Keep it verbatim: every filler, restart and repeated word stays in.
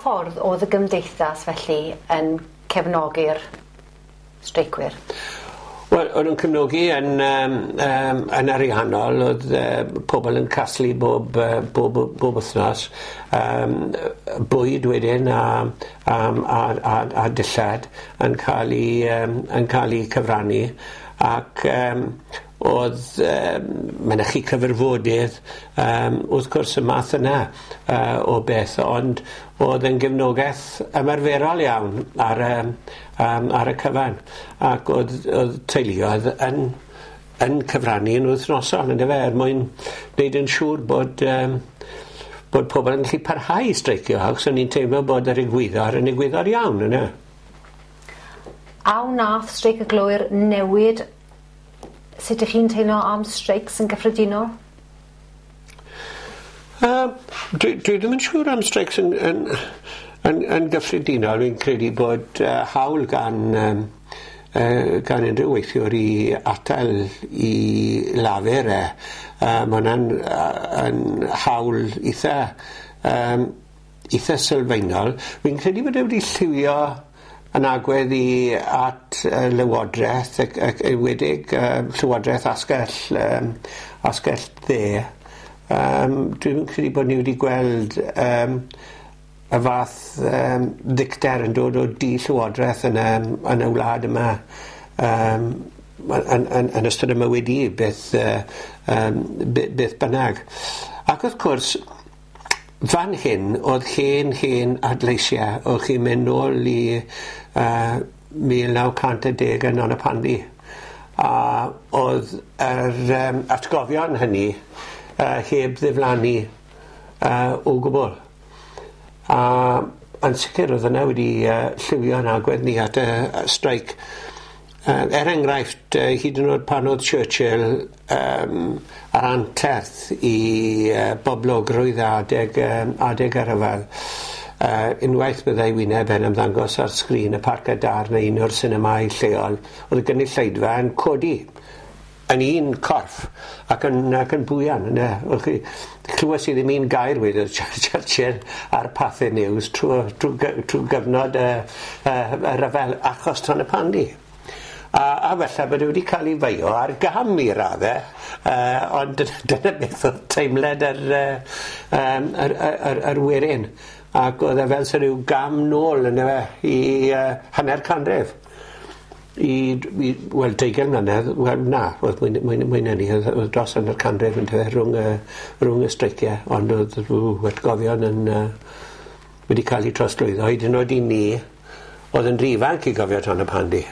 Ffordd oedd y gymdeithas felly yn cefnogi'r streicwyr? Wel, o'n nhw'n cefnogi yn, um, um, yn ariannol, oedd uh, pobl yn casglu bob, uh, bob, bob wythnos, um, bwyd wedyn a, um, a, a, a dillad yn cael ei, um, yn cael ei cyfrannu, ac um, oedd um, mynychu cyfarfodydd, um, wrth gwrs y math yna uh, o beth, ond oedd yn gefnogaeth ymarferol iawn ar, um, um, ar y cyfan, ac oedd, oedd teuluoedd yn, yn cyfrannu yn wythnosol, yndyfe, er mwyn gwneud yn siŵr bod, um, bod pobl yn gallu parhau i streicio, achos o'n i'n teimlo bod yr egwyddor yn egwyddor iawn, yna. A wnaeth streic y glowyr newid sut ych chi'n teimlo am streics yn gyffredinol? Uh, dwi, dwi ddim yn siŵr am streics yn, yn, yn, yn gyffredinol. Fi'n credu bod uh, hawl gan, um, uh, gan unrhyw weithiwr i atal i lafur e. Uh, mae hwnna'n uh, yn hawl eitha, um, eitha sylfaenol. Fi'n credu bod e wedi lliwio yn agwedd i at uh, Lywodraeth, ac, ac enwedig uh, Llywodraeth asgell, um, asgell dde. Um, dwi'n credu bod ni wedi gweld um, y fath um, ddicter yn dod o di Llywodraeth yn y, yn y wlad yma um, yn, yn, yn ystod y mywyd i, beth, uh, um, beth bynnag. Ac wrth gwrs, fan hyn oedd hen hen adleisiau, o'ch chi'n mynd nôl i uh, mil naw cant a deg yn Nonypandy. A oedd yr um, atgofion hynny uh, heb ddiflannu uh, o gwbl. A yn sicr oedd yna wedi uh, lliwio yn agwedd ni at y uh, streic. Uh, er enghraifft, uh, hyd yn oed pan oedd Churchill um, ar anterth i uh, boblogrwydd adeg, um, adeg y rhyfel, uh, unwaith byddai wyneb yn ymddangos ar sgrin y Parc Adar neu un o'r sinemâu lleol, oedd y gynulleidfa yn codi yn un corff ac yn, ac yn bwian. Yna. Chi, clywes i ddim un gair wedodd Churchill ar Pathé News trwy, trwy, trwy gyfnod y, y, y rhyfel achos Tonypandy. A, a felly bod e wedi cael ei feio ar gam i raddau, uh, ond dyna beth oedd teimlad yr, um, yr, yr, yr, yr werin. Ac oedd e fel sy'n rhyw gam nôl yna fe i uh, hanner canrif. I, i wel, deugain mlynedd, wel na, oedd mwy, mwy, mwy na ni, oedd, oedd dros hanner canrif yn tyfe rhwng, y, rhwng y streiciau, ond oedd ww, atgofion yn, uh, wedi cael eu trosglwyddo. Hyd yn oed i ni, oedd yn rhy ifanc i gofio Tonypandy.